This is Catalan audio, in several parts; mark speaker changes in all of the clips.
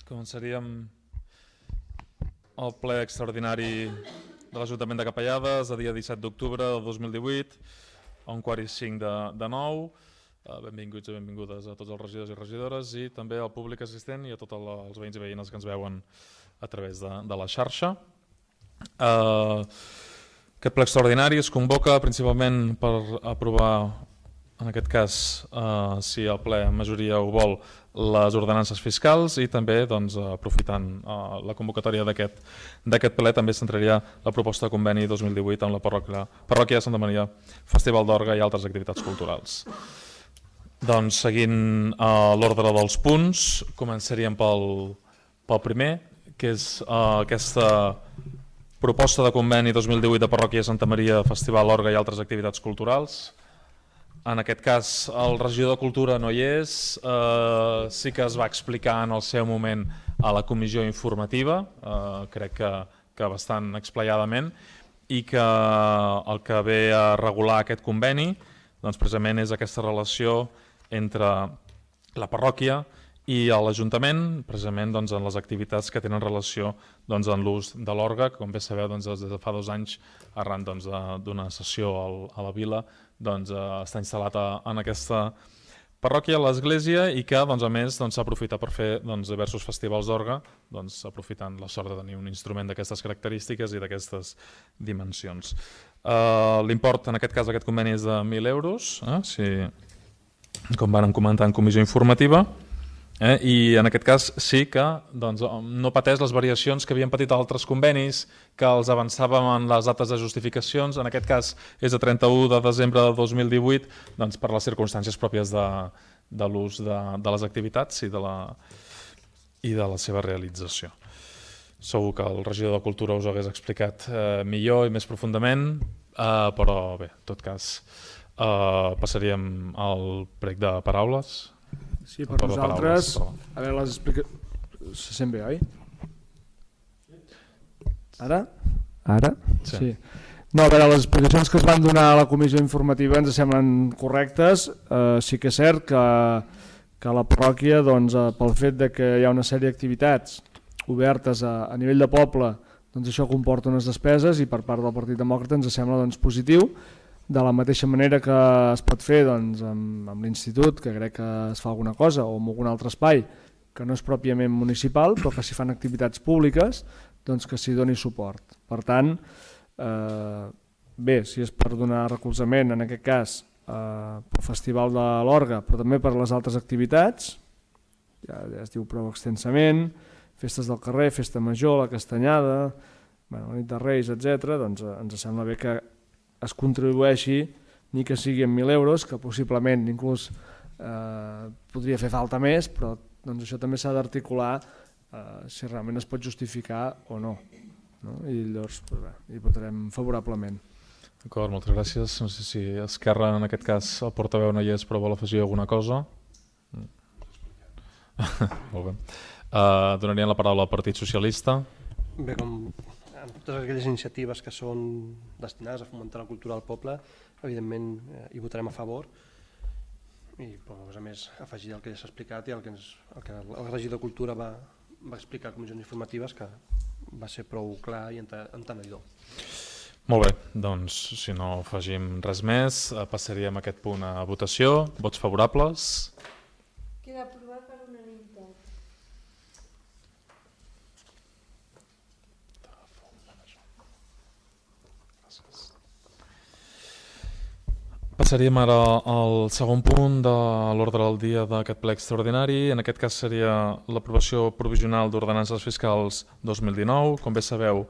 Speaker 1: Començaríem el ple extraordinari de l'Ajuntament de Capellades el dia 17 d'octubre del 2018 a 8:45 de 9. Benvinguts i benvingudes a tots els regidors i regidores i també al públic assistent i a tots els veïns i veïnes que ens veuen a través de la xarxa. Aquest ple extraordinari es convoca principalment per aprovar, en aquest cas, si el ple en majoria ho vol, les ordenances fiscals i també, aprofitant la convocatòria d'aquest ple, també s'entraria la proposta de conveni 2018 amb la parròquia de Santa Maria, Festival d'Orga i altres activitats culturals. Doncs, seguint l'ordre dels punts, començaríem pel primer, que és aquesta proposta de conveni 2018 de parròquia de Santa Maria, Festival d'Orga i altres activitats culturals. En aquest cas, el regidor de Cultura no hi és, sí que es va explicar en el seu moment a la comissió informativa, crec que bastant explayadament, i que el que ve a regular aquest conveni doncs, precisament és aquesta relació entre la parròquia i l'Ajuntament, precisament en les activitats que tenen relació en l'ús de l'orga, que com bé sabeu des de fa 2 anys, arran d'una sessió a la vila, està instal·lat en aquesta parròquia, l'església, i que a més s'aprofita per fer diversos festivals d'orga, aprofitant la sort de tenir un instrument d'aquestes característiques i d'aquestes dimensions. L'import, en aquest cas, d'aquest conveni és de 1.000 euros, com vam comentar en comissió informativa, i en aquest cas sí que no pateix les variacions que havien patit altres convenis que els avançàvem en les dates de justificacions. En aquest cas és de 31 de desembre de 2018 per les circumstàncies pròpies de l'ús de les activitats i de la seva realització. Segur que el regidor de Cultura us ho hagués explicat millor i més profundament, però bé, en tot cas passaríem al prec de paraules.
Speaker 2: Sí, per nosaltres, a veure, les explicacions... Se sent bé, oi? Ara? Ara? Sí. No, a veure, les explicacions que es van donar a la comissió informativa ens semblen correctes. Sí que és cert que la parròquia, pel fet que hi ha una sèrie d'activitats obertes a nivell de poble, això comporta unes despeses i per part del Partit Demòcrata ens sembla positiu. De la mateixa manera que es pot fer amb l'Institut, que crec que es fa alguna cosa, o en algun altre espai que no és pròpiament municipal, però que s'hi fan activitats públiques, que s'hi doni suport. Per tant, bé, si és per donar recolzament, en aquest cas, pel Festival de l'Orga, però també per les altres activitats, ja es diu prou extensament, festes del carrer, festa major, la castanyada, la nit de Reis, etc., ens sembla bé que es contribueixi, ni que sigui amb 1.000 euros, que possiblement inclús podria fer falta més, però això també s'ha d'articular si realment es pot justificar o no. I llavors hi votarem favorablement.
Speaker 1: D'acord, moltes gràcies. No sé si Esquerra, en aquest cas, el portaveu no hi és, però vol afegir alguna cosa. Molt bé. Donaríem la paraula al Partit Socialista.
Speaker 3: Bé, com en totes aquelles iniciatives que són destinades a fomentar la cultura del poble, evidentment hi votarem a favor i a més afegir el que ja s'ha explicat i el que el regidor de Cultura va explicar a comissions informatives, que va ser prou clar i entenedor.
Speaker 1: Molt bé, doncs si no afegim res més, passaríem aquest punt a votació. Vots favorables?
Speaker 4: Queda aprovat per unanimitat.
Speaker 1: Passaríem ara al segon punt de l'ordre del dia d'aquest ple extraordinari. En aquest cas seria l'aprovació provisional d'ordenances fiscals 2019. Com bé sabeu,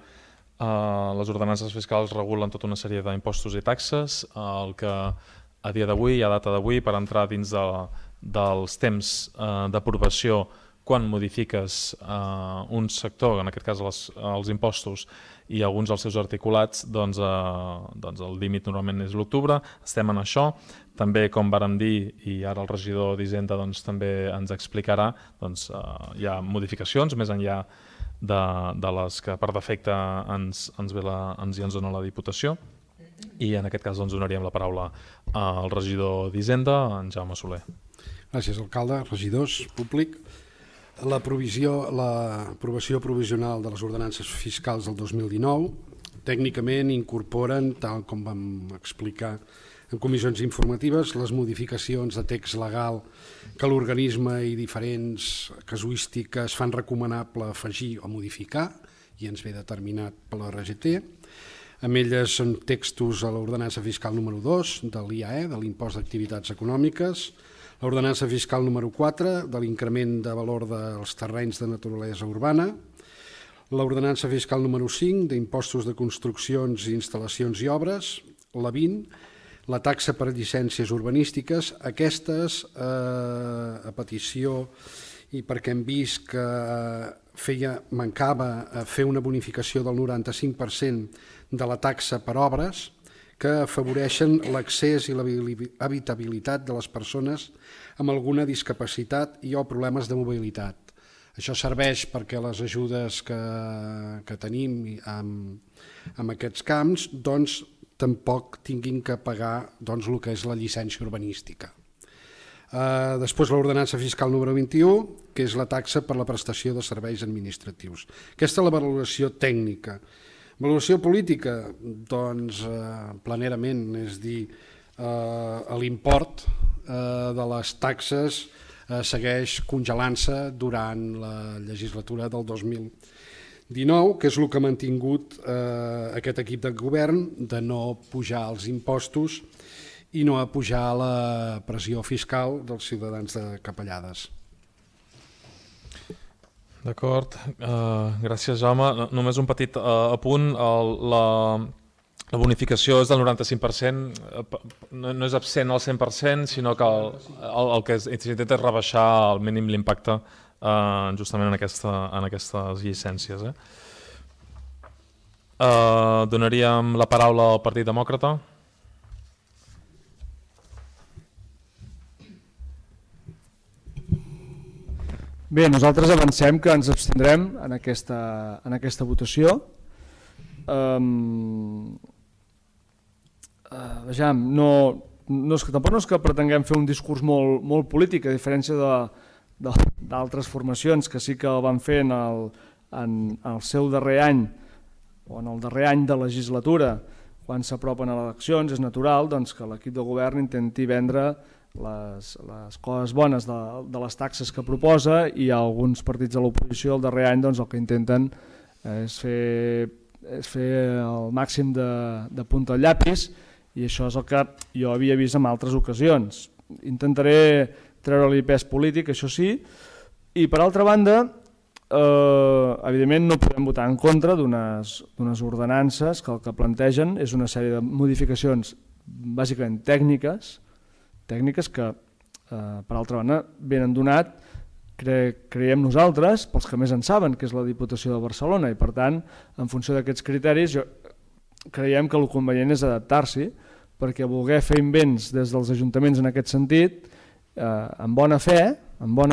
Speaker 1: les ordenances fiscals regulen tota una sèrie d'impostos i taxes, el que a dia d'avui, a data d'avui, per entrar dins dels temps d'aprovació quan modifiques un sector, en aquest cas els impostos, i alguns dels seus articulats, el límit normalment és l'octubre. Estem en això. També, com vàrem dir, i ara el regidor d'Hisenda també ens explicarà, hi ha modificacions, més enllà de les que per defecte ens dona la Diputació. I en aquest cas donaríem la paraula al regidor d'Hisenda, en Jaume Soler.
Speaker 5: Gràcies, alcalde, regidors, públic. l'aprovació provisional de les ordenances fiscals del 2019 tècnicament incorporen, tal com vam explicar en comissions informatives, les modificacions de text legal que l'organisme i diferents casuístiques fan recomanable afegir o modificar, i ens ve determinat per la RGT. Amb elles són textos a l'ordenança fiscal número 2 de l'IAE, de l'impost d'activitats econòmiques, l'ordenança fiscal número 4 de l'increment de valor dels terrenys de naturalesa urbana, l'ordenança fiscal número 5 d'impostos de construccions, instal·lacions i obres, la 20, la taxa per llicències urbanístiques, aquestes a petició i perquè hem vist que mancava fer una bonificació del 95% de la taxa per obres que afavoreixen l'accés i l'habitabilitat de les persones amb alguna discapacitat i o problemes de mobilitat. Això serveix perquè les ajudes que tenim en aquests camps tampoc tinguin que pagar el que és la llicència urbanística. Després l'ordenança fiscal número 21, que és la taxa per la prestació de serveis administratius. Aquesta és la valoració tècnica. Valoració política, doncs planerament, és dir, l'import de les taxes segueix congelant-se durant la legislatura del 2019, que és el que ha mantingut aquest equip de govern de no pujar els impostos i no pujar la pressió fiscal dels ciutadans de Capellades.
Speaker 1: D'acord, gràcies Jaume. Només un petit apunt, la bonificació és del 95%, no és absent al 100%, sinó que el que s'intenta és rebaixar al mínim l'impacte justament en aquestes llicències. Donaríem la paraula al Partit Demòcrata.
Speaker 2: Bé, nosaltres avancem que ens abstindrem en aquesta votació. Vejam, tampoc no és que pretenguem fer un discurs molt polític, a diferència d'altres formacions que sí que el van fer en el seu darrer any o en el darrer any de legislatura, quan s'apropen a les eleccions. És natural que l'equip de govern intenti vendre les coses bones de les taxes que proposa, i alguns partits de l'oposició el darrer any el que intenten és fer el màxim de punta al llapis, i això és el que jo havia vist en altres ocasions. Intentaré treure-li pes polític, això sí, i per altra banda, evidentment no podem votar en contra d'unes ordenances que el que plantegen és una sèrie de modificacions bàsicament tècniques que, per altra banda, venen donat, creiem nosaltres, pels que més en saben, que és la Diputació de Barcelona, i per tant, en funció d'aquests criteris, creiem que el convenient és adaptar-s'hi, perquè voler fer invents des dels ajuntaments en aquest sentit, amb bona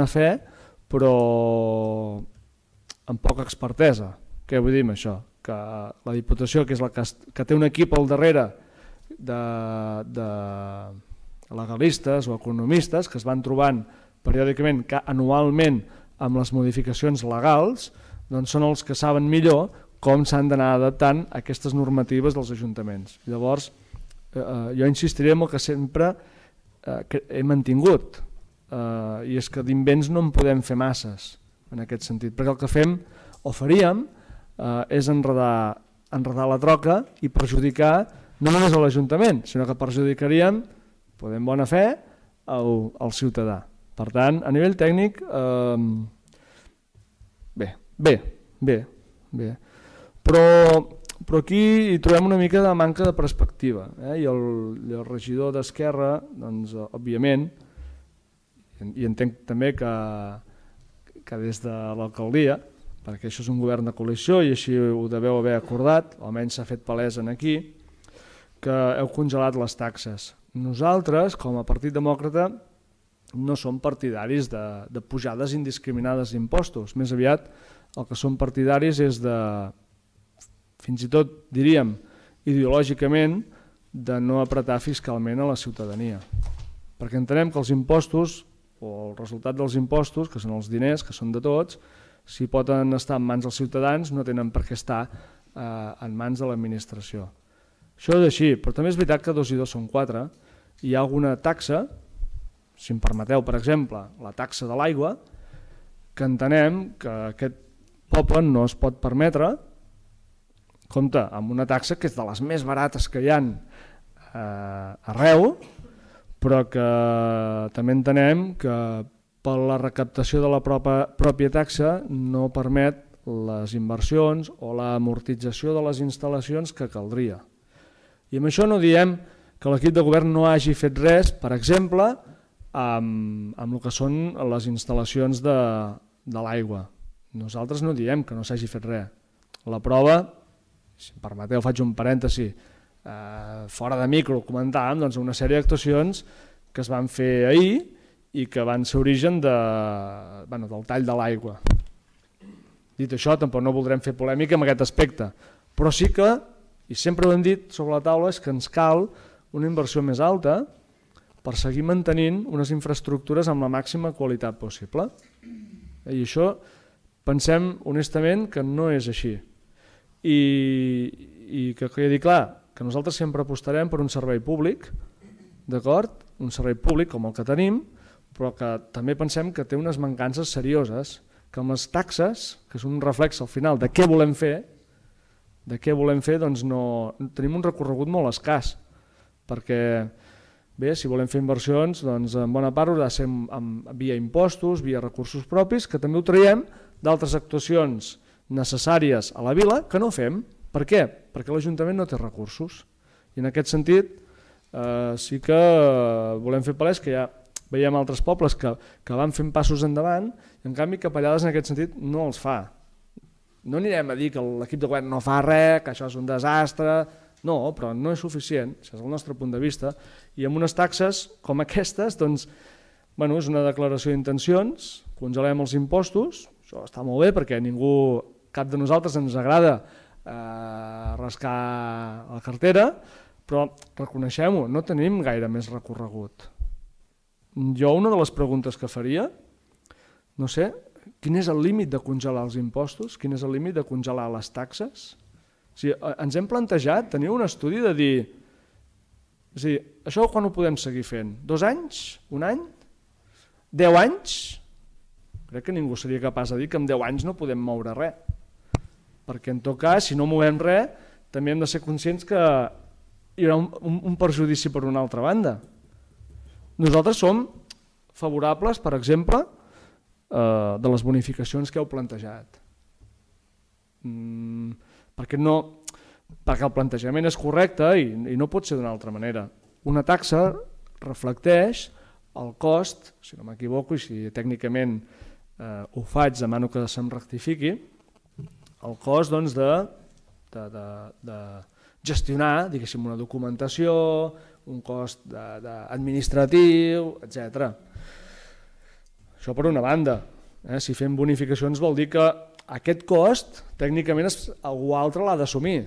Speaker 2: fe, però amb poca expertesa. Què vull dir amb això? Que la Diputació, que és la que té un equip al darrere de legalistes o economistes que es van trobant periòdicament, anualment, amb les modificacions legals, doncs són els que saben millor com s'han d'anar adaptant a aquestes normatives dels ajuntaments. Llavors, jo insistiré en el que sempre he mantingut, i és que d'invents no en podem fer masses en aquest sentit, perquè el que fem o faríem és enredar la troca i perjudicar no només a l'Ajuntament, sinó que perjudicaríem, en bona fe, al ciutadà. Per tant, a nivell tècnic, bé. Però aquí hi trobem una mica de manca de perspectiva, i el regidor d'Esquerra, doncs, òbviament, i entenc també que des de l'alcaldia, perquè això és un govern de coalició i així ho deveu haver acordat, almenys s'ha fet palès aquí, que heu congelat les taxes. Nosaltres, com a Partit Demòcrata, no som partidaris de pujades indiscriminades d'impostos. Més aviat el que som partidaris és de, fins i tot diríem ideològicament, de no apretar fiscalment a la ciutadania. Perquè entenem que els impostos o el resultat dels impostos, que són els diners, que són de tots, si poden estar en mans dels ciutadans, no tenen per què estar en mans de l'administració. Això és així, però també és veritat que 2 i 2 són 4. Hi ha alguna taxa, si em permeteu, per exemple, la taxa de l'aigua, que entenem que aquest poble no es pot permetre, compte, amb una taxa que és de les més barates que hi ha arreu, però que també entenem que per la recaptació de la pròpia taxa no permet les inversions o l'amortització de les instal·lacions que caldria. I amb això no diem que l'equip de govern no hagi fet res, per exemple, amb el que són les instal·lacions de l'aigua. Nosaltres no diem que no s'hagi fet res. La prova, si em permeteu faig un parèntesi, fora de micro comentàvem una sèrie d'actuacions que es van fer ahir i que van ser origen del tall de l'aigua. Dit això, tampoc no voldrem fer polèmica en aquest aspecte, però sí que, i sempre ho hem dit sobre la taula, és que ens cal una inversió més alta per seguir mantenint unes infraestructures amb la màxima qualitat possible. I això pensem honestament que no és així. I que quedi clar que nosaltres sempre apostarem per un servei públic, d'acord? Un servei públic com el que tenim, però que també pensem que té unes mancances serioses, que amb les taxes, que és un reflex al final de què volem fer, doncs tenim un recorregut molt escàs, perquè bé, si volem fer inversions, doncs en bona part haurà de ser via impostos, via recursos propis, que també ho traiem d'altres actuacions necessàries a la vila que no fem. Per què? Perquè l'Ajuntament no té recursos. I en aquest sentit sí que volem fer palès que ja veiem altres pobles que van fent passos endavant i en canvi Capellades en aquest sentit no els fa. No anirem a dir que l'equip de govern no fa res, que això és un desastre, no, però no és suficient, això és el nostre punt de vista, i amb unes taxes com aquestes, doncs, bueno, és una declaració d'intencions, congelem els impostos, això està molt bé perquè ningú, cap de nosaltres ens agrada rascar la cartera, però reconeixem-ho, no tenim gaire més recorregut. Jo una de les preguntes que faria, no sé, quin és el límit de congelar els impostos? Quin és el límit de congelar les taxes? O sigui, ens hem plantejat tenir un estudi de dir, és a dir, això quan ho podem seguir fent? 2 anys? 1 any? 10 anys? Crec que ningú seria capaç de dir que en 10 anys no podem moure res. Perquè en tot cas, si no movem res, també hem de ser conscients que hi haurà un perjudici per una altra banda. Nosaltres som favorables, per exemple, de les bonificacions que heu plantejat. Perquè el plantejament és correcte i no pot ser d'una altra manera. Una taxa reflecteix el cost, si no m'equivoco i si tècnicament ho faig, demano que se'm rectifiqui, el cost de gestionar, diguéssim, una documentació, un cost administratiu, etc. Això per una banda. Si fem bonificacions vol dir que aquest cost tècnicament algú altre l'ha d'assumir.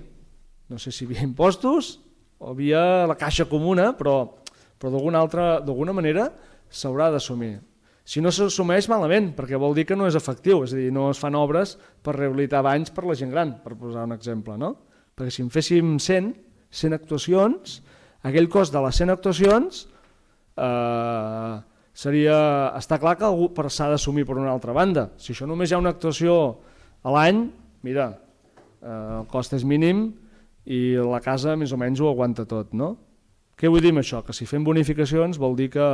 Speaker 2: No sé si via impostos o via la caixa comuna, però d'alguna manera s'haurà d'assumir. Si no s'assumeix, malament, perquè vol dir que no és efectiu, és a dir, no es fan obres per rehabilitar banys per la gent gran, per posar un exemple, no? Perquè si en féssim 100 actuacions, aquell cost de les 100 actuacions està clar que s'ha d'assumir per una altra banda. Si això només hi ha una actuació a l'any, mira, el cost és mínim i la casa més o menys ho aguanta tot, no? Què vull dir amb això? Que si fem bonificacions vol dir que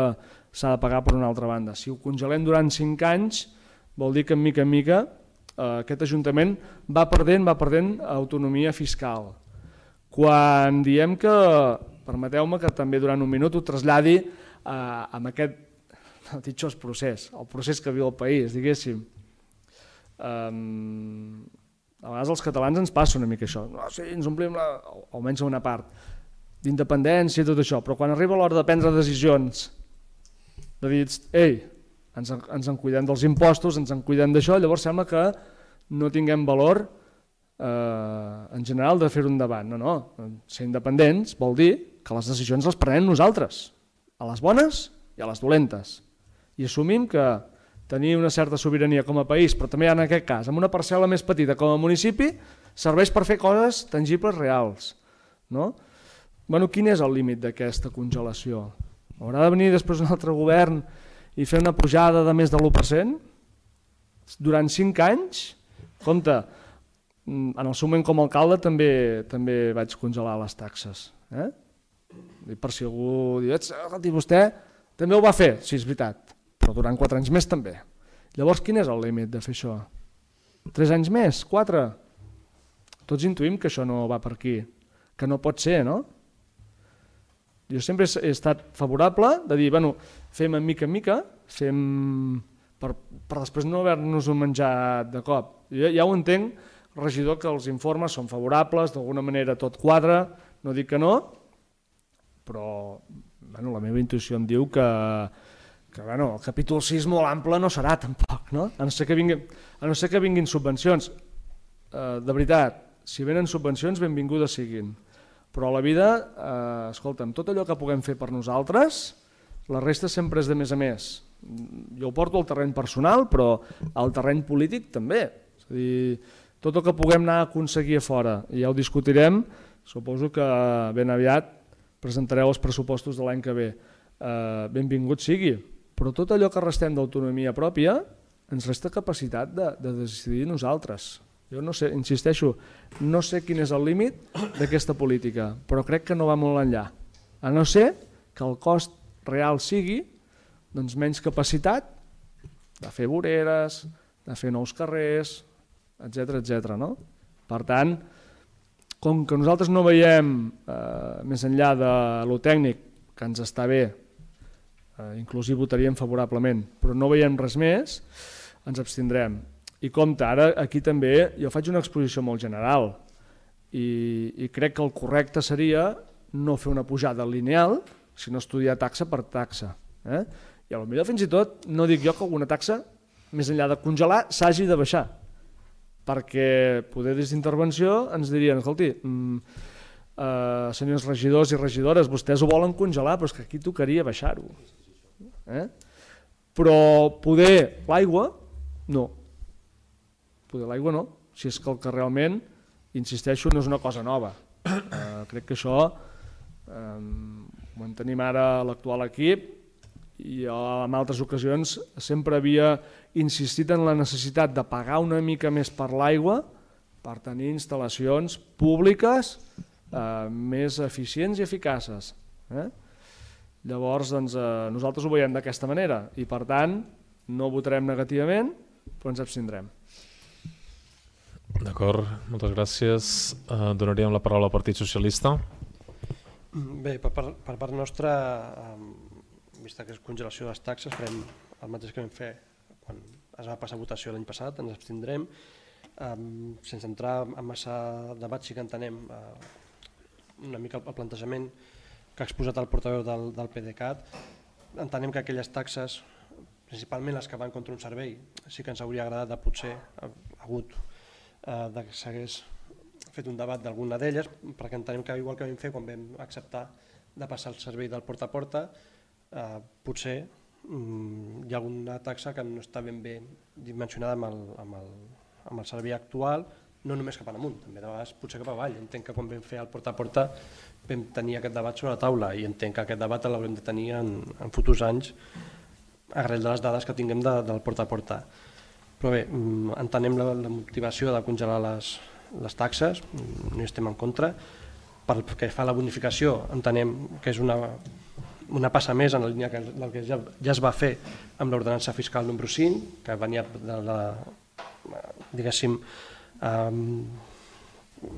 Speaker 2: s'ha de pagar per una altra banda. Si ho congelem durant 5 anys vol dir que en mica aquest Ajuntament va perdent autonomia fiscal. Quan diem que, permeteu-me que també durant un minut ho traslladi amb aquest procés, el procés que viu el país, diguéssim. A vegades els catalans ens passa una mica això. Sí, ens omplim, almenys una part, d'independència i tot això, però quan arriba l'hora de prendre decisions, de dir, ei, ens en cuidem dels impostos, ens en cuidem d'això, llavors sembla que no tinguem valor en general de fer-ho endavant. No, ser independents vol dir que les decisions les prenem nosaltres, a les bones i a les dolentes. i assumim que tenir una certa sobirania com a país, però també en aquest cas, amb una parcel·la més petita com a municipi, serveix per fer coses tangibles reals. No? Bueno, quin és el límit d'aquesta congelació? Haurà de venir després un altre govern i fer una pujada de més de l'1%? Durant 5 anys? Compte, en el seu moment com a alcalde també vaig congelar les taxes. Per si algú diu, vostè també ho va fer, sí, és veritat, però durant 4 anys més també. Llavors, quin és el límit de fer això? 3 anys més? 4? Tots intuïm que això no va per aquí, que no pot ser, no? Jo sempre he estat favorable de dir, bueno, fem en mica, fem per després no haver-nos-ho menjat de cop. Jo ja ho entenc, regidor, que els informes són favorables, d'alguna manera tot quadra, no dic que no, però la meva intuïció em diu que el capítol 6 molt ample no serà tampoc, no? A no ser que vinguin subvencions. De veritat, si venen subvencions, benvingudes siguin. Però a la vida, escolta'm, tot allò que puguem fer per nosaltres, la resta sempre és de més a més. Jo ho porto al terreny personal, però al terreny polític també. És a dir, tot el que puguem anar a aconseguir a fora, i ja ho discutirem, suposo que ben aviat presentareu els pressupostos de l'any que ve. Benvingut sigui, però tot allò que restem d'autonomia pròpia ens resta capacitat de decidir nosaltres. Jo no sé, insisteixo, no sé quin és el límit d'aquesta política, però crec que no va molt enllà. A no ser que el cost real sigui menys capacitat de fer voreres, de fer nous carrers, etc. No? Per tant, com que nosaltres no veiem més enllà de lo tècnic, que ens està bé, inclús hi votaríem favorablement, però no veiem res més, ens abstindrem. I compte, ara aquí també jo faig una exposició molt general i crec que el correcte seria no fer una pujada lineal, sinó estudiar taxa per taxa. I potser fins i tot no dic jo que alguna taxa, més enllà de congelar, s'hagi de baixar, perquè poder des d'intervenció ens dirien, escolti, senyors regidors i regidores, vostès ho volen congelar, però és que aquí tocaria baixar-ho. Però poder l'aigua, no. Poder l'aigua no, si és que el que realment, insisteixo, no és una cosa nova. Crec que això ho en tenim ara a l'actual equip i en altres ocasions sempre havia insistit en la necessitat de pagar una mica més per l'aigua per tenir instal·lacions públiques més eficients i eficaces. Llavors, nosaltres ho veiem d'aquesta manera i, per tant, no votarem negativament, però ens abstindrem.
Speaker 1: D'acord, moltes gràcies. Donaríem la paraula al Partit Socialista.
Speaker 3: Bé, per part nostra, vista que és congelació de les taxes, farem el mateix que vam fer quan es va passar a votació l'any passat, ens abstindrem. Sense entrar en massa debat, sí que entenem una mica el plantejament que ha exposat el portaveu del PDeCAT. Entenem que aquelles taxes, principalment les que van contra un servei, sí que ens hauria agradat de potser hagut que s'hagués fet un debat d'alguna d'elles, perquè entenem que igual que vam fer quan vam acceptar de passar el servei del porta a porta, potser hi ha alguna taxa que no està ben bé dimensionada amb el servei actual, no només cap amunt, també de vegades potser cap avall. Entenc que quan vam fer el porta a porta vam tenir aquest debat sobre la taula i entenc que aquest debat l'haurem de tenir en futurs anys arrel de les dades que tinguem del porta a porta. Però bé, entenem la motivació de congelar les taxes, no hi estem en contra. Pel que fa a la bonificació, entenem que és una passa més en la línia del que ja es va fer amb l'ordenança fiscal número 5, que venia diguéssim,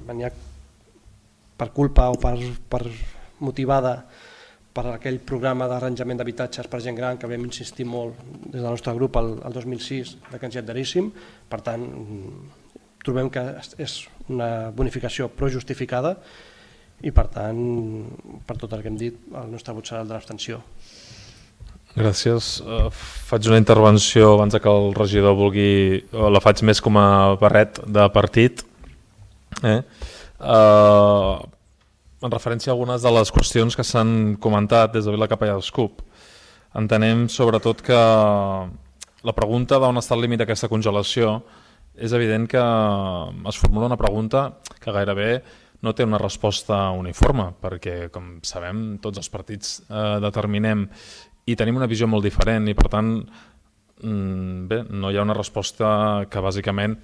Speaker 3: venia per culpa o per motivada per aquell programa d'arranjament d'habitatges per gent gran que vam insistir molt des del nostre grup el 2006 que ens hi adheríssim. Per tant, trobem que és una bonificació prou justificada i per tant, per tot el que hem dit, el nostre vot serà el de l'abstenció.
Speaker 1: Gràcies. Faig una intervenció abans que el regidor vulgui, la faig més com a barret de partit. En referència a algunes de les qüestions que s'han comentat des de Vilacapellà d'Escup. Entenem sobretot que la pregunta d'on està el límit d'aquesta congelació és evident que es formula una pregunta que gairebé no té una resposta uniforme, perquè, com sabem, tots els partits determinem i tenim una visió molt diferent i, per tant, bé, no hi ha una resposta que bàsicament,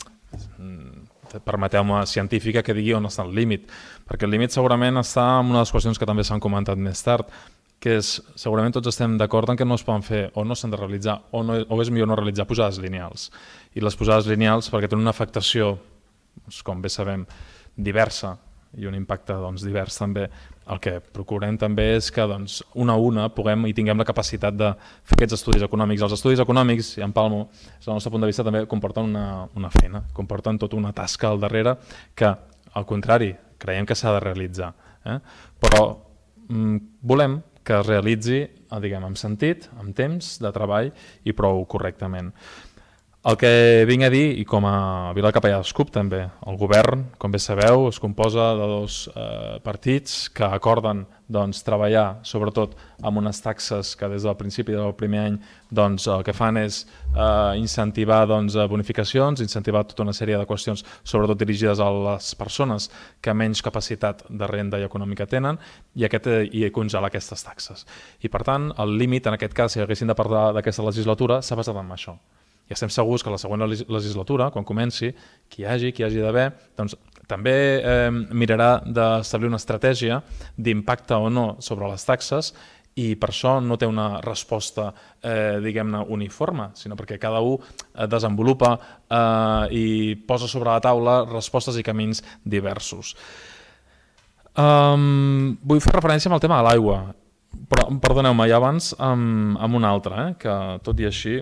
Speaker 1: permeteu-me, científica, que digui on està el límit, perquè el límit segurament està en una de les qüestions que també s'han comentat més tard, que és, segurament tots estem d'acord en que no es poden fer o no s'han de realitzar o és millor no realitzar pujades lineals. I les pujades lineals, perquè tenen una afectació, com bé sabem, diversa i un impacte divers també, el que procurem també és que una a una puguem i tinguem la capacitat de fer aquests estudis econòmics. Els estudis econòmics, i en Palmo, des del nostre punt de vista, també comporten una feina, comporten tota una tasca al darrere que, al contrari, creiem que s'ha de realitzar. Però volem que es realitzi, diguem, amb sentit, amb temps de treball i prou correctament. El que vinc a dir, i com a Vila Capellà d'Escup també, el govern, com bé sabeu, es composa de dos partits que acorden treballar sobretot amb unes taxes que des del principi del primer any el que fan és incentivar bonificacions, incentivar tota una sèrie de qüestions sobretot dirigides a les persones que menys capacitat de renda i econòmica tenen i congelar aquestes taxes. I per tant, el límit, en aquest cas, si haguéssim de parlar d'aquesta legislatura, s'ha basat en això. I estem segurs que la següent legislatura, quan comenci, qui hi hagi d'haver, també mirarà d'establir una estratègia d'impacte o no sobre les taxes i per això no té una resposta, diguem-ne, uniforme, sinó perquè cada un desenvolupa i posa sobre la taula respostes i camins diversos. Vull fer referència amb el tema de l'aigua, però perdoneu-me, ja abans amb un altre, que tot i així,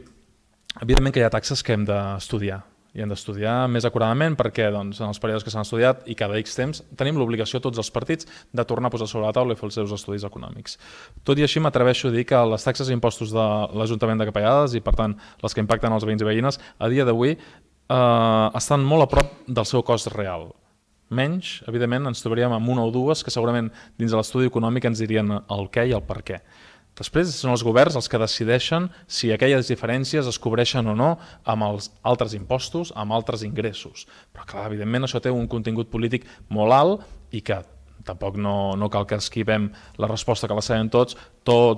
Speaker 1: evidentment que hi ha taxes que hem d'estudiar, i hem d'estudiar més acuradament perquè en els períodes que s'han estudiat i cada X temps tenim l'obligació tots els partits de tornar a posar sobre la taula i fer els seus estudis econòmics. Tot i així m'atreveixo a dir que les taxes i impostos de l'Ajuntament de Capellades i per tant les que impacten els veïns i veïnes a dia d'avui estan molt a prop del seu cost real. Menys, evidentment, ens trobaríem amb una o dues que segurament dins de l'estudi econòmic ens dirien el què i el per què. Després són els governs els que decideixen si aquelles diferències es cobreixen o no amb els altres impostos, amb altres ingressos. Però clar, evidentment això té un contingut polític molt alt i que tampoc no cal que esquivem la resposta que la sabem tots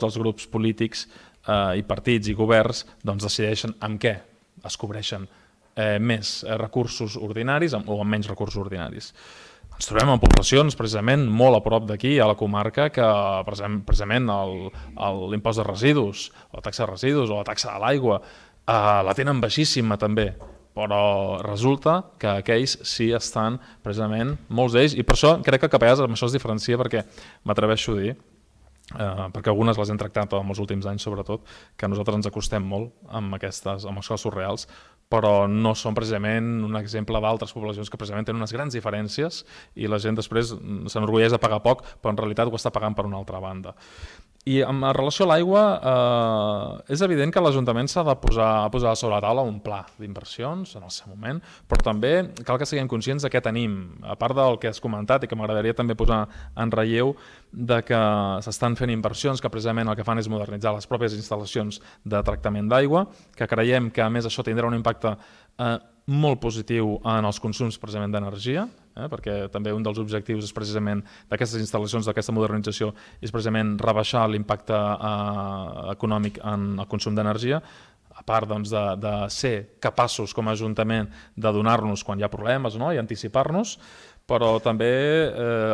Speaker 1: els grups polítics i partits i governs decideixen amb què es cobreixen més recursos ordinaris o amb menys recursos ordinaris. Ens trobem en poblacions precisament molt a prop d'aquí, a la comarca, que precisament l'impost de residus, o la taxa de residus, o la taxa de l'aigua, la tenen baixíssima també, però resulta que aquells sí estan precisament, molts d'ells, i per això crec que Capellades amb això es diferencia perquè m'atreveixo a dir, perquè algunes les hem tractat en els últims anys sobretot, que nosaltres ens acostem molt amb els casos reals, però no són precisament un exemple d'altres poblacions que precisament tenen unes grans diferències i la gent després s'enorgulleix de pagar poc, però en realitat ho està pagant per una altra banda. I en relació a l'aigua, és evident que l'Ajuntament s'ha de posar sobre la taula un pla d'inversions en el seu moment, però també cal que siguem conscients de què tenim. A part del que has comentat i que m'agradaria també posar en relleu de que s'estan fent inversions que precisament el que fan és modernitzar les pròpies instal·lacions de tractament d'aigua, que creiem que a més això tindrà un impacte molt positiu en els consums precisament d'energia, perquè també un dels objectius és precisament d'aquestes instal·lacions, d'aquesta modernització, és precisament rebaixar l'impacte econòmic en el consum d'energia, a part de ser capaços com a Ajuntament de donar-nos quan hi ha problemes i anticipar-nos, però també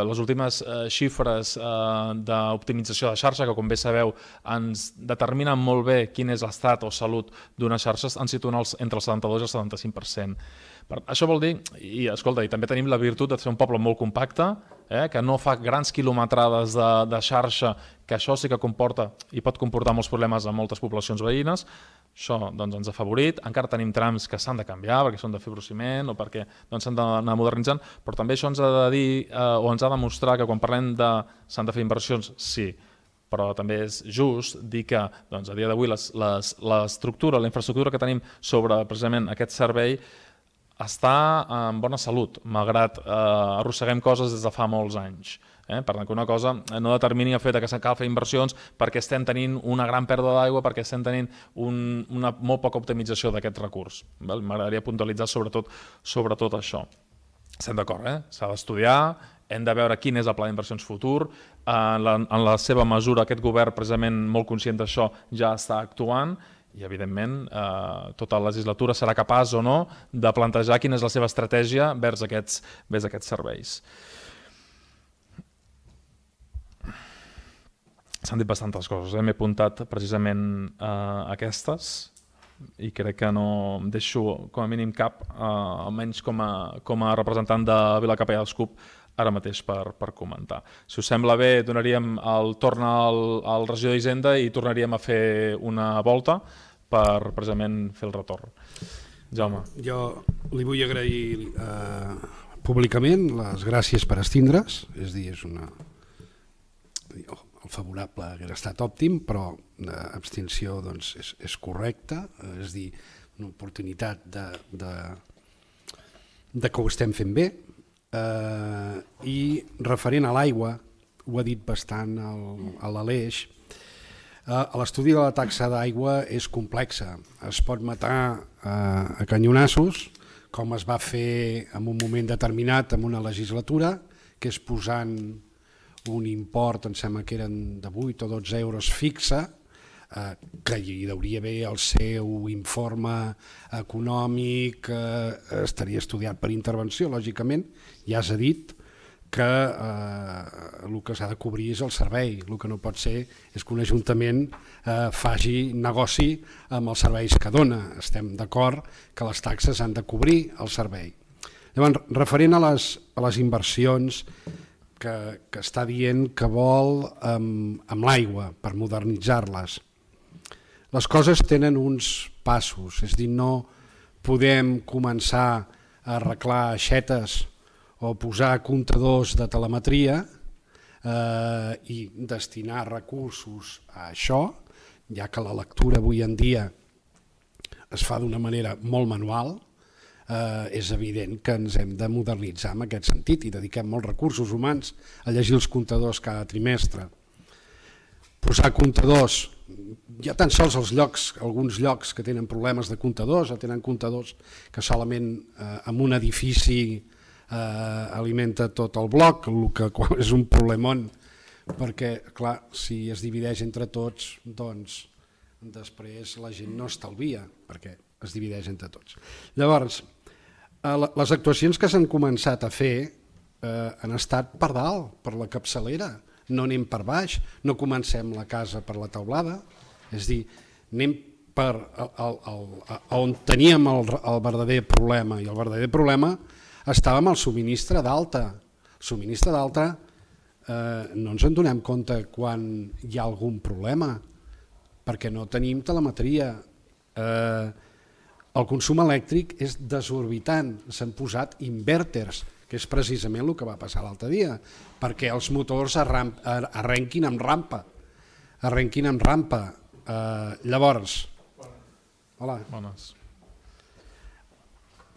Speaker 1: les últimes xifres d'optimització de xarxa, que com bé sabeu ens determinen molt bé quin és l'estat o salut d'una xarxa, ens situen entre el 72 i el 75%. Això vol dir, i escolta, i també tenim la virtut de ser un poble molt compacte, que no fa grans quilometrades de xarxa, que això sí que comporta i pot comportar molts problemes a moltes poblacions veïnes. Això ens ha afavorit. Encara tenim trams que s'han de canviar perquè són de fibrociment o perquè s'han d'anar modernitzant, però també això ens ha de dir o ens ha de mostrar que quan parlem de s'han de fer inversions, sí, però també és just dir que a dia d'avui l'estructura, la infraestructura que tenim sobre precisament aquest servei està en bona salut, malgrat arrosseguem coses des de fa molts anys. Per tant, que una cosa no determini el fet que cal fer inversions perquè estem tenint una gran pèrdua d'aigua, perquè estem tenint una molt poca optimització d'aquest recurs. M'agradaria puntualitzar sobretot això. Estem d'acord, s'ha d'estudiar, hem de veure quin és el pla d'inversions futur. En la seva mesura, aquest govern, precisament molt conscient d'això, ja està actuant i, evidentment, tota la legislatura serà capaç o no de plantejar quina és la seva estratègia vers aquests serveis. S'han dit bastantes coses, m'he apuntat precisament aquestes i crec que no em deixo com a mínim cap, almenys com a representant de Vilacapellà dels CUP, ara mateix per comentar. Si us sembla bé, donaríem el torn al regidor d'Hisenda i tornaríem a fer una volta per precisament fer el retorn. Jaume.
Speaker 5: Jo li vull agrair públicament les gràcies per estindre's, és a dir, el favorable hauria estat òptim, però l'abstenció és correcta, és a dir, una oportunitat de que ho estem fent bé. I referent a l'aigua, ho ha dit bastant a l'Aleix, l'estudi de la taxa d'aigua és complexa, es pot matar a canyonassos, com es va fer en un moment determinat en una legislatura, que és posant un import, em sembla que eren de 8 o 12 euros fixa, que hi hauria haver el seu informe econòmic, estaria estudiat per intervenció, lògicament, ja s'ha dit que el que s'ha de cobrir és el servei, el que no pot ser és que un ajuntament faci negoci amb els serveis que dona, estem d'acord que les taxes han de cobrir el servei. Llavors, referent a les inversions que està dient que vol amb l'aigua per modernitzar-les. Les coses tenen uns passos, és a dir, no podem començar a arreglar aixetes o posar comptadors de telemetria i destinar recursos a això, ja que la lectura avui en dia es fa d'una manera molt manual. És evident que ens hem de modernitzar en aquest sentit i dediquem molts recursos humans a llegir els comptadors cada trimestre. Posar comptadors, hi ha tan sols alguns llocs que tenen problemes de comptadors o tenen comptadors que solament en un edifici alimenta tot el bloc, el que és un problemon, perquè clar, si es divideix entre tots, doncs després la gent no estalvia, perquè es divideix entre tots. Llavors, les actuacions que s'han començat a fer han estat per dalt, per la capçalera, no anem per baix, no comencem la casa per la teulada, és a dir, anem per on teníem el verdader problema, i el verdader problema estava amb el subministre d'alta. El subministre d'alta no ens en donem compte quan hi ha algun problema, perquè no tenim telemetria. El consum elèctric és desorbitant, s'han posat inverters, que és precisament el que va passar l'altre dia, perquè els motors arrenquin amb rampa. Llavors, hola.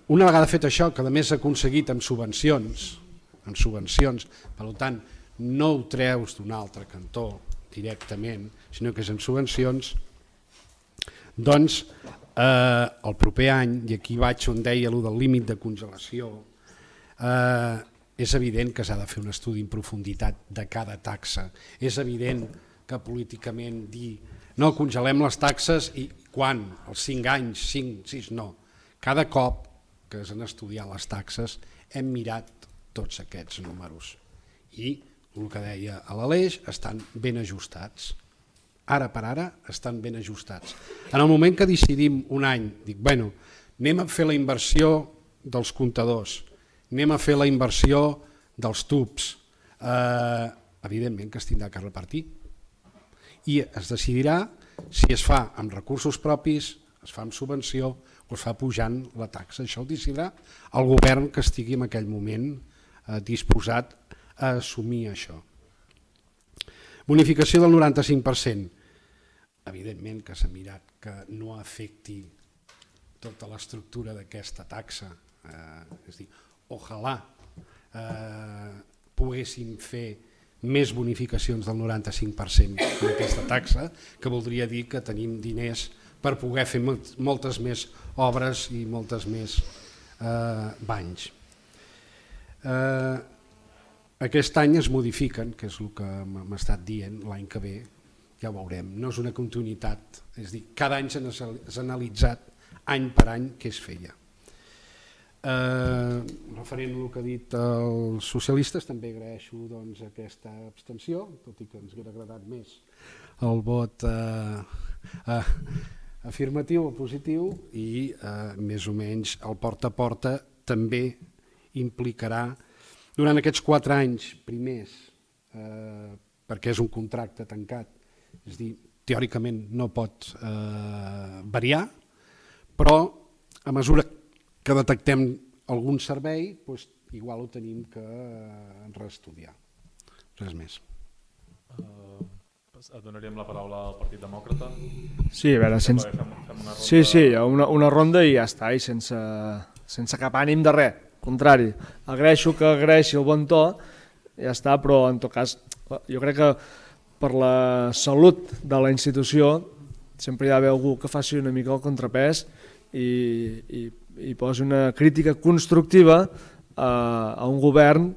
Speaker 5: Una vegada fet això, que a més s'ha aconseguit amb subvencions, per tant, no ho treus d'un altre cantó directament, sinó que és en subvencions, doncs el proper any, i aquí vaig on deia allò del límit de congelació, és evident que s'ha de fer un estudi en profunditat de cada taxa. És evident que políticament dir no, congelem les taxes i quan? Els 5 anys, 5, 6, no. Cada cop que s'han estudiat les taxes hem mirat tots aquests números i el que deia a l'Aleix estan ben ajustats. Ara per ara estan ben ajustats. En el moment que decidim un any, dic, bueno, anem a fer la inversió dels comptadors, anem a fer la inversió dels tubs, evidentment que es tindrà que repartir. I es decidirà si es fa amb recursos propis, es fa amb subvenció o es fa pujant la taxa. Això ho decidirà el govern que estigui en aquell moment disposat a assumir això. Bonificació del 95%. Evidentment que s'ha mirat que no afecti tota l'estructura d'aquesta taxa. És a dir, ojalà poguéssim fer més bonificacions del 95% en aquesta taxa, que voldria dir que tenim diners per poder fer moltes més obres i moltes més banys. Aquest any es modifiquen, que és el que m'ha estat dient, l'any que ve ja ho veurem, no és una continuïtat, és a dir, cada any s'ha analitzat any per any què es feia. Referent al que ha dit els socialistes, també agraeixo aquesta abstenció, tot i que ens hauria agradat més el vot afirmatiu o positiu, i més o menys el porta a porta també implicarà durant aquests 4 anys primers, perquè és un contracte tancat, és a dir, teòricament no pot variar, però a mesura que detectem algun servei, igual ho tenim que reestudiar. Res més.
Speaker 1: Donaríem la paraula al Partit Demòcrata.
Speaker 2: Sí, a veure, una ronda i ja està, i sense cap ànim de res. Al contrari, agraeixo que agraeixi el bon to, ja està, però en tot cas jo crec que per la salut de la institució sempre hi ha d'haver algú que faci una mica el contrapès i posi una crítica constructiva a un govern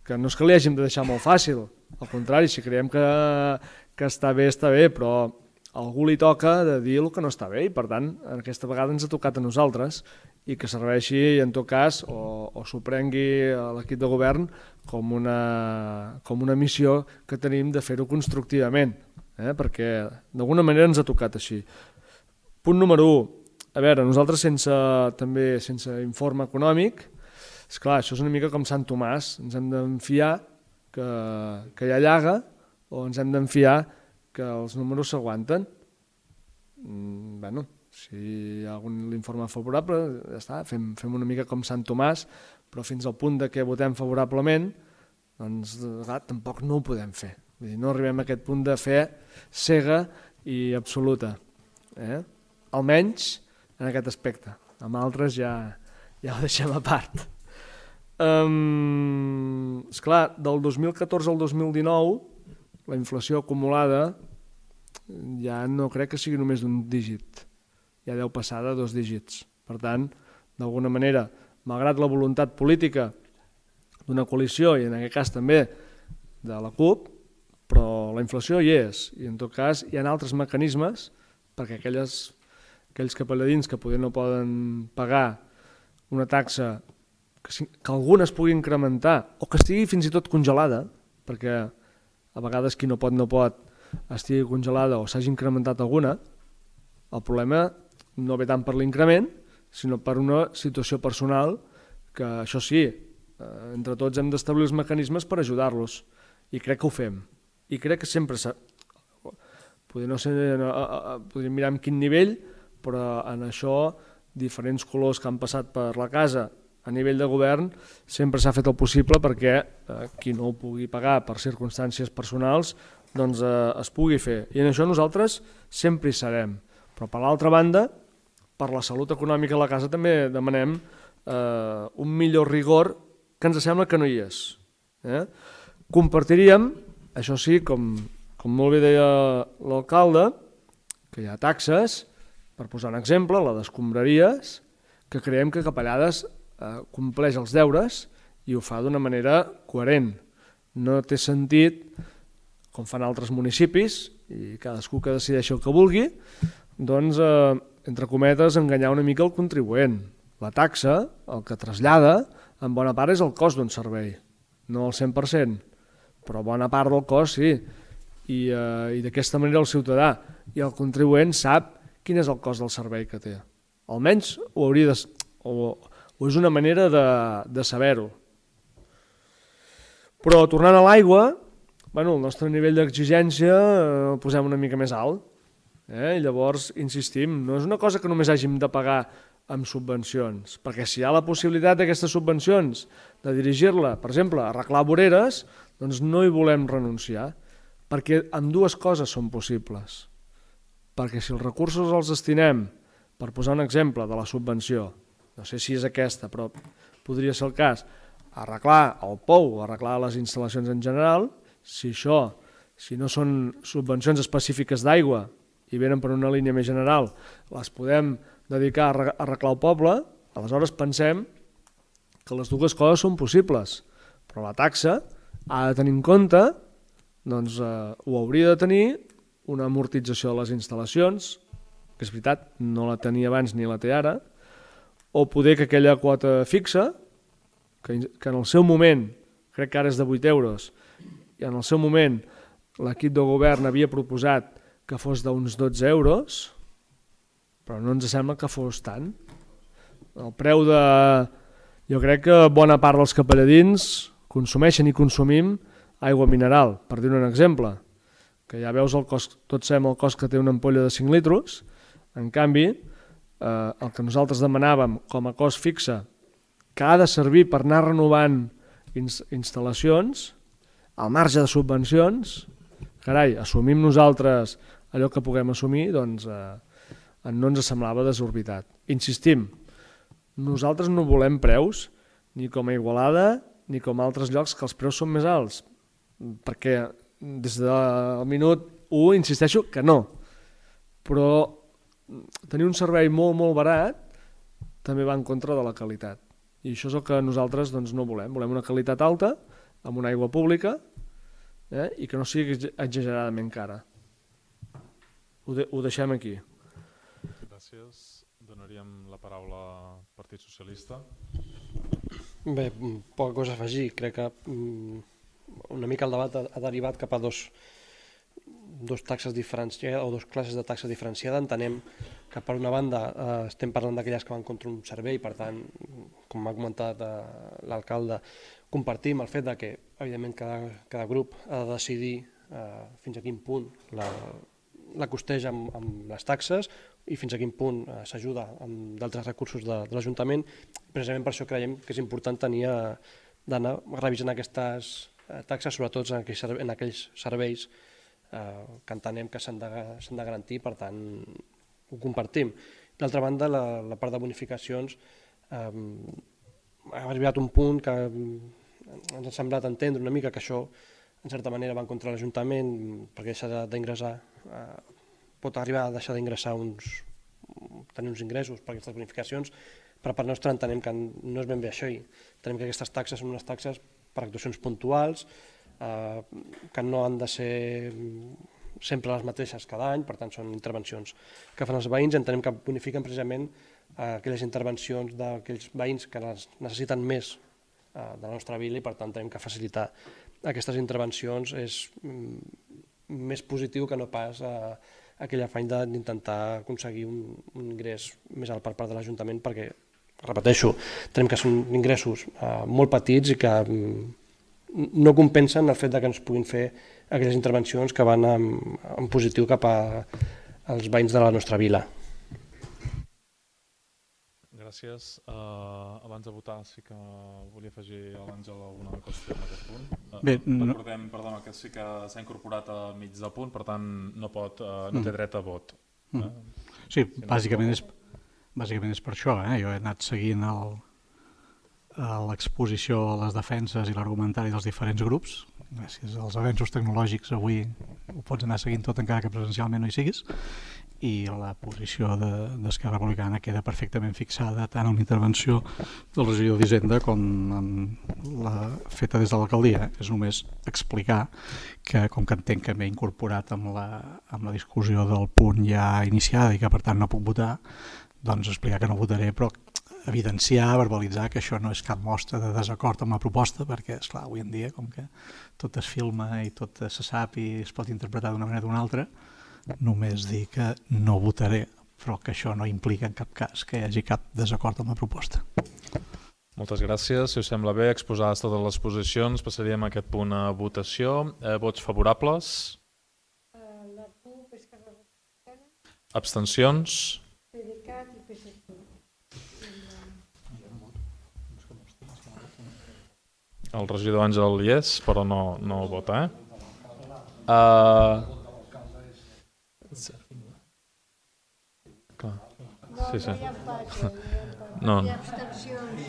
Speaker 2: que no és que li hàgim de deixar molt fàcil, al contrari, si creiem que està bé, però a algú li toca de dir el que no està bé, i per tant aquesta vegada ens ha tocat a nosaltres, i que serveixi en tot cas o s'ho prengui a l'equip de govern com una missió que tenim de fer-ho constructivament, perquè d'alguna manera ens ha tocat així. Punt número 1, a veure, nosaltres sense informe econòmic, esclar, això és una mica com Sant Tomàs, ens hem d'enfiar que hi ha llaga o ens hem d'enfiar que els números s'aguanten. Bueno, si hi ha algun informe favorable, ja està, fem una mica com Sant Tomàs, però fins al punt de que votem favorablement, doncs tampoc no ho podem fer. Vull dir, no arribem a aquest punt de fe cega i absoluta. Almenys en aquest aspecte. Amb altres ja ho deixem a part. Esclar, del 2014 al 2019 la inflació acumulada ja no crec que sigui només d'un dígit, ja deu passar de 2 dígits. Per tant, d'alguna manera, malgrat la voluntat política d'una coalició i en aquest cas també de la CUP, però la inflació hi és, i en tot cas hi ha altres mecanismes perquè aquells capelladins que potser no poden pagar una taxa que alguna es pugui incrementar o que estigui fins i tot congelada, perquè a vegades qui no pot estigui congelada o s'hagi incrementat alguna, el problema no ve tant per l'increment, sinó per una situació personal que això sí, entre tots hem d'establir els mecanismes per ajudar-los, i crec que ho fem. I crec que sempre podríem mirar en quin nivell, però en això diferents colors que han passat per la casa a nivell de govern sempre s'ha fet el possible perquè qui no ho pugui pagar per circumstàncies personals doncs es pugui fer. I en això nosaltres sempre hi serem. Però per l'altra banda, per la salut econòmica de la casa també demanem un millor rigor que ens sembla que no hi és. Compartiríem, això sí, com molt bé deia l'alcalde, que hi ha taxes, per posar un exemple, la d'escombraries, que creiem que Capellades compleix els deures i ho fa d'una manera coherent. No té sentit, com fan altres municipis, i cadascú que decideixi el que vulgui, doncs, entre cometes, enganyar una mica el contribuent. La taxa, el que trasllada, en bona part és el cost d'un servei, no el 100%, però bona part del cost sí, i d'aquesta manera el ciutadà i el contribuent sap quin és el cost del servei que té. Almenys ho hauria de... o és una manera de saber-ho. Però tornant a l'aigua, el nostre nivell d'exigència el posem una mica més alt. I llavors, insistim, no és una cosa que només hàgim de pagar amb subvencions, perquè si hi ha la possibilitat d'aquestes subvencions de dirigir-la, per exemple, a arreglar voreres, doncs no hi volem renunciar, perquè ambdues coses són possibles. Perquè si els recursos els destinem, per posar un exemple de la subvenció, no sé si és aquesta, però podria ser el cas, a arreglar el pou, a arreglar les instal·lacions en general, si no són subvencions específiques d'aigua i venen per una línia més general, les podem dedicar a arreglar el poble, aleshores pensem que les dues coses són possibles, però la taxa ha de tenir en compte, doncs ho hauria de tenir, una amortització de les instal·lacions, que és veritat, no la tenia abans ni la té ara, o poder que aquella quota fixa, que en el seu moment, crec que ara és de 8 euros, i en el seu moment l'equip de govern havia proposat que fos d'uns 12 euros, però no ens sembla que fos tant. El preu de... Jo crec que bona part dels capelladins consumeixen i consumim aigua mineral, per dir un exemple, que ja veus el cost, tots sabem el cost que té una ampolla de 5 litros, en canvi, el que nosaltres demanàvem com a cost fixe, que ha de servir per anar renovant instal·lacions, al marge de subvencions, carai, assumim nosaltres allò que puguem assumir, doncs no ens semblava desorbitat. Insistim, nosaltres no volem preus, ni com a Igualada, ni com a altres llocs que els preus són més alts, perquè des del minut 1 insisteixo que no, però tenir un servei molt, molt barat també va en contra de la qualitat. I això és el que nosaltres no volem. Volem una qualitat alta, amb una aigua pública, i que no sigui exageradament cara. Ho deixem aquí.
Speaker 1: Gràcies. Donaríem la paraula al Partit Socialista.
Speaker 3: Bé, poca cosa a afegir. Crec que una mica el debat ha derivat cap a dos taxes diferenciades o dos classes de taxa diferenciada. Entenem que per una banda estem parlant d'aquelles que van contra un servei, per tant, com m'ha comentat l'alcalde, compartim el fet que, evidentment, cada grup ha de decidir fins a quin punt la costeja amb les taxes i fins a quin punt s'ajuda amb d'altres recursos de l'Ajuntament. Precisament per això creiem que és important d'anar revisant aquestes taxes, sobretot en aquells serveis que entenem que s'han de garantir, per tant, ho compartim. D'altra banda, la part de bonificacions ha arribat un punt que ens ha semblat entendre una mica que això, en certa manera, va en contra l'Ajuntament, perquè deixar d'ingressar, pot arribar a deixar d'ingressar tenir uns ingressos per aquestes bonificacions, però per nostra entenem que no és ben bé això. Entenem que aquestes taxes són unes taxes per actuacions puntuals, que no han de ser sempre les mateixes cada any, per tant són intervencions que fan els veïns. Entenem que bonifiquen precisament aquelles intervencions d'aquells veïns que les necessiten més de la nostra vila i per tant entenem que facilitar aquestes intervencions és més positiu que no pas aquell afany d'intentar aconseguir un ingrés més alt per part de l'Ajuntament, perquè, repeteixo, entenem que són ingressos molt petits i que no compensen el fet que ens puguin fer aquelles intervencions que van en positiu cap als veïns de la nostra vila.
Speaker 1: Gràcies. Abans de votar sí que volia afegir a l'Àngel alguna qüestió en aquest punt.
Speaker 6: Bé,
Speaker 1: recordem, perdona, que sí que s'ha incorporat al mig del punt, per tant no té dret a vot.
Speaker 6: Sí, bàsicament és per això. Jo he anat seguint l'exposició, les defenses i l'argumentari dels diferents grups. Gràcies als avenços tecnològics avui ho pots anar seguint tot encara que presencialment no hi siguis, i la posició d'Esquerra Republicana queda perfectament fixada tant en l'intervenció del regidor d'Hisenda com en la feta des de l'alcaldia. És només explicar que, com que entenc que m'he incorporat amb la discussió del punt ja iniciada i que per tant no puc votar, doncs explicar que no votaré, però evidenciar, verbalitzar que això no és cap mostra de desacord amb la proposta, perquè, esclar, avui en dia, com que tot es filma i tot se sap i es pot interpretar d'una manera o d'una altra, només dir que no votaré, però que això no implica en cap cas que hi hagi cap desacord amb la proposta.
Speaker 1: Moltes gràcies. Si us sembla bé, exposades totes les posicions, passaríem a aquest punt a votació. Vots favorables?
Speaker 4: La CUP, Esquerra Republicana,
Speaker 1: Abstencions?
Speaker 4: PDeCAT i PSC.
Speaker 1: El regidor Àngel hi és, però no vota, Clar. Sí.
Speaker 4: No hi ha empat,
Speaker 1: No.
Speaker 4: hi ha abstencions.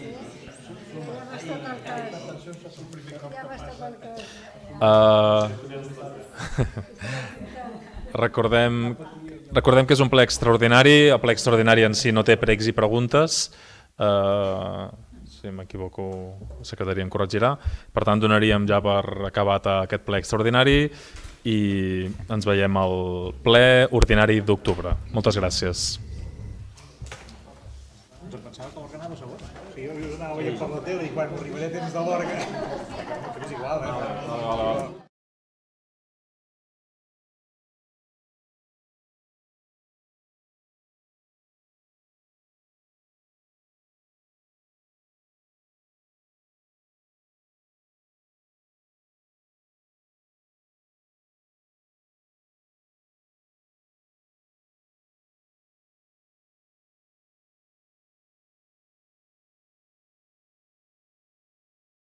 Speaker 1: Recordem que és un ple extraordinari. El ple extraordinari en si no té pregs i preguntes. Si m'equivoco, la secretaria em corregirà. Per tant, donaríem ja per acabat aquest ple extraordinari i ens veiem al ple ordinari d'octubre. Moltes gràcies.
Speaker 7: Pensava que l'organava segon. Jo anava veient per la tele i quan arribaré temps de l'hora que és igual,